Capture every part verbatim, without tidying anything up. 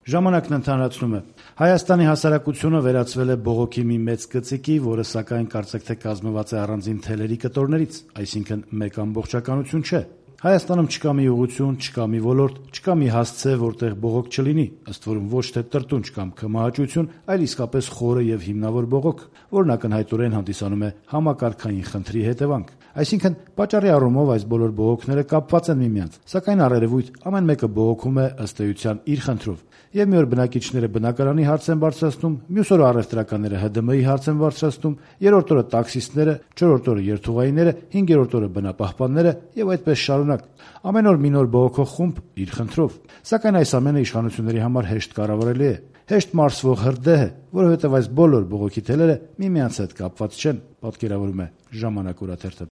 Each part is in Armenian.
Ժամանակն ընդհանրացնում է. Հայաստանի հասարակությունը վերածվել է բողոքի մի մեծ գծիկի, որը սակայն կարծեք թե կազմված է առանձին թելերի կտորներից, այսինքն մեկ ամբողջականություն չէ։ Հայաստանում չկա մի ուղղություն, չկա մի ոլորտ, չկա մի հասցե, որտեղ բողոք չլինի, ըստ որում ոչ թե տրտունջ կամ քմահաճություն, այլ իսկապես խորը եւ հիմնավոր բողոք, որն ակնհայտորեն հանդիսանում է համակարգային խնդրի հետևանք։ Այսինքն, պատճառի առումով այս բոլոր բողոքները կապված են միմյանց, սակայն առերևույթ ամեն մեկը բողոքում է ըստ էության իր խնդրով։ Եվ մի օր բնակիչները բնակարանի հարց են բարձրացնում, մյուս օրը առևտրականները Հ Դ M-ի հարց են բարձրացնում, երրորդ օրը տաքսիստները, չորրորդ օրը երթուղայինները, հինգերորդ օրը բնապահպանները եւ այդպես շարունակ։ Ամեն օր մի նոր բողոքող խումբ իր խնդրով։ Սակայն այս ամենը իշխանությունների համար հեշտ կառավարելի է, հեշտ մարսվող հրդեհ է, որովհետեւ այս բոլոր բողոքի թելերը միմյանց հետ կապված չեն, պատկերավորում է Ժամանակ օրաթերթը։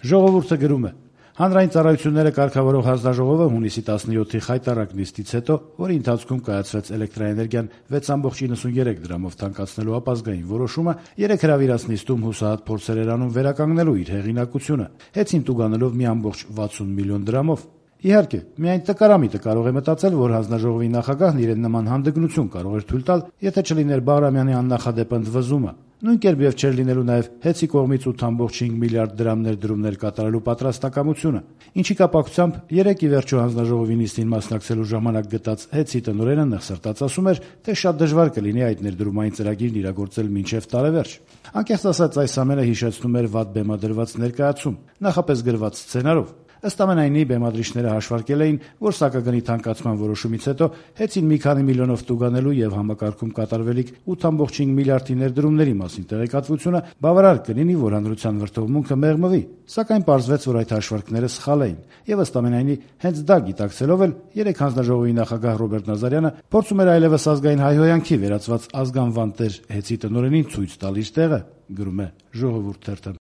Ժողովուրդը գրում է. Հանրային ծառայությունները կարգավորող հանձնաժողովը հունիսի տասնյոթի խայտառակ նիստից հետո, որի ընթացքում կայացվեց էլեկտրաէներգիան վեց կόμma նինety դրամով թանկացնելու ապազգային որոշումը, երեք հրավիրած նիստում հուսահատ փորձեր էր անում վերականգնելու իր հեղինակությունը, հեծին տուգանելով մի ամբողջ վաթսուն միլիոն դրամով։ Իհարկե, միայն տկարամիտը կարող է մտածել, որ հանձնաժողովի նախագահն իրեն նման հանդգնություն կարող էր թույլ տալ, եթե չլիներ Բաղրամյանի աննախադեպ ընդվզումը։ Նույն կերպ եւ չէր լինելու նաեւ հեծի կողմից ութ կόμma cinque միլիարդ դրամ ներդրումներ կատարելու պատրաստակամությունը, ինչի կապակցությամբ երեք ի վերջո հանձնաժողովի նիստին մասնակցելու ժամանակ գտած հեծի տնօրենը նեղսրտած ասում էր, թե շատ դժվար կլինի այդ ներդրումային ծրագիրն իրագործել մինչեւ տարեվերջ։ Անկեղծ ասած, այս ամենը հիշեցնում էր վատ բեմադրված ներկայացում, նախապես գրված սցենարով։ Ըստ ամենայնի, բեմադրիչները հաշվարկել էին, որ սակագնի թանկացման որոշումից հետո հեծին մի քանի միլիոնով տուգանելու եւ համակարգում կատարվելիք ութ կόμma cinque միլիարդի ներդրումների մասին տեղեկատվությունը բավարար կլինի, որ հանրության վրդովմունքը մեղմվի, սակայն պարզվեց, որ այդ հաշվարկները սխալ էին, եւ ըստ ամենայնի, հենց դա գիտակցելով էլ երեք հանձնաժողովի նախագահ Ռոբերտ Նազարյանը փորձում էր այլևս ազգային հայհոյանքի վերածված ազգանվան տեր հեծի տնօրենին ցույց տալ իր տեղը, գրում է Ժողովուրդ թերթը։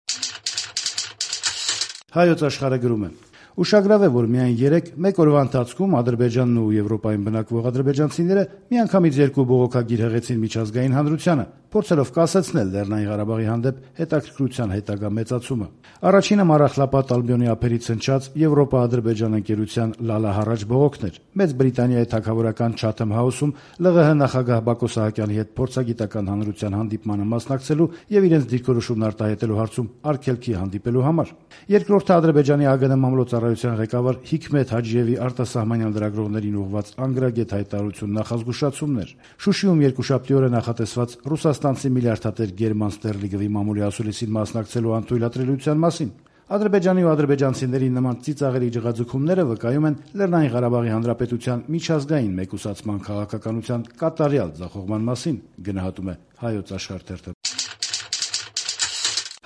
Հայոց աշխարհը գրում է. Ուշագրավ է, որ միայն երեք մեկ օրվա ընթացքում Ադրբեջանն ու Եվրոպայում բնակվող ադրբեջանցիները միանգամից երկու բողոքագիր հղեցին միջազգային հանրությանը, փորձելով կասեցնել Լեռնային Ղարաբաղի հանդեպ հետաքրքրության հետագա մեծացումը։ Առաջինը Մարախլապատ Ալբիոնի ափերից հնչած Եվրոպա-Ադրբեջան ընկերության լալահառաջ բողոքն էր։ Մեծ Բրիտանիայի թագավորական Chatham House-ում L Ղ Հ նախագահ Բակո Սահակյանի հետ փորձագիտական հանրության հանդիպմանը մասնակցելու եւ իրենց դիրքորոշումն արտահայտելու հարցում արգելքի հանդիպելու համար։ Երկրորդը Ադրբեջանի Ա Գ Ն մամլոյցարայության ղեկավար Հիքմեթ Հաջիևի արտասահմանյան լրագրողներին ուղղված անգրագետ հայտարարություն նախազգուշացումն էր։ Շուշիում երկուշաբթի օրը նախատեսված ռուսաստանցի միլիարդատեր Գերման Ստերլիգովի մամուլի ասուլիսին մասնակցելու անթույլատրելիության մասին։ Ադրբեջանի ու ադրբեջանցիների նման ծիծաղելի ջղաձգումները վկայում են Լեռնային Ղարաբաղի Հանրապետության միջազգային մեկուսացման քաղաքականության կատարյալ ձախողման մասին, գնահատում է Հայոց աշխարհ թերթը։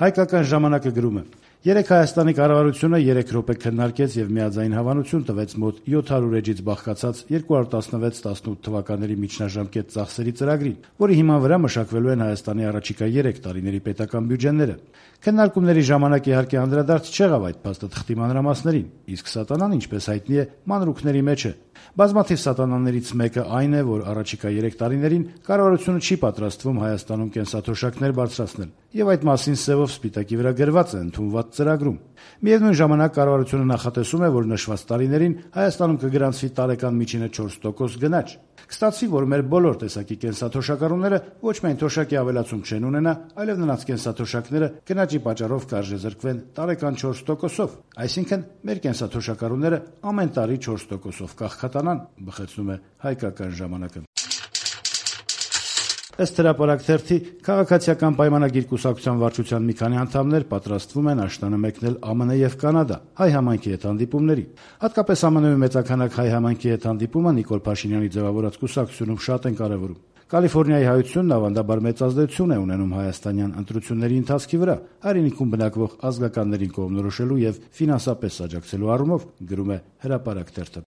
Հայկական ժամանակը գրում է. Երեք Հայաստանի կառավարությունը երեք րոպե քննարկեց եւ միաձայն հավանություն տվեց մոտ յոթ հարյուր էջից բաղկացած երկու հազար տասնվեց տասնութ թվականների միջնաժամկետ ծախսերի ծրագրին, որի հիման վրա մշակվելու են Հայաստանի առաջիկա երեք տարիների պետական բյուջեները։ Քննարկումների ժամանակ իհարկե անդրադարձ չեղավ այդ փաստաթղթի մանրամասներին, իսկ սատանան, ինչպես հայտնի է, մանրուքների մեջ է։ Բազմաթիվ սատանաներից մեկը այն է, որ առաջիկա երեք տարիներին կառավարությունը չի պատրաստվում Հայաստանում կենսաթոշակներ բարձրացնել, եւ այդ մասին սևով սպիտակի վրա գրված է ընդունված ծրագրում։ Միևնույն ժամանակ կառավարությունը նախատեսում է, որ նշված տարիներին Հայաստանում կգրանցվի տարեկան միջինը չորս տոկոս գնաճ։ Կստացվի, որ մեր բոլոր տեսակի կենսաթոշակառուները ոչ միայն թոշակի ավելացում չեն ունենա, այլև նրանց կենսաթոշակները գնաճի պատճառով կարժեզրկվեն տարեկան չորս տոկոսով, այսինքն մեր կենսաթոշակառուները ամեն տարի չորս տոկոսով կաղքատանան, բխեցնում է Հայկական ժամանակը։ Ըստ հրապարակ թերթի, քաղաքացիական պայմանագիր կուսակցության վարչության մի քանի անդամներ պատրաստվում են աշնանը մեկնել Ա Մ Ն եւ Կանադա հայ համայնքի հետ հանդիպումների։ Հատկապես Ա Մ Ն-ում մեծաքանակ հայ համայնքի հետ հանդիպումը Նիկոլ Փաշինյանի ձևավորած կուսակցությունում շատ են կարևորում։ Կալիֆոռնիայի հայությունն ավանդաբար մեծ ազդեցություն է ունենում հայաստանյան ընտրությունների ընթացքի վրա, հայրենիքում բնակվող ազգականներին կողմնորոշելու եւ ֆինանսապես աջակցելու առումով, գրում է հրապարակ թերթը։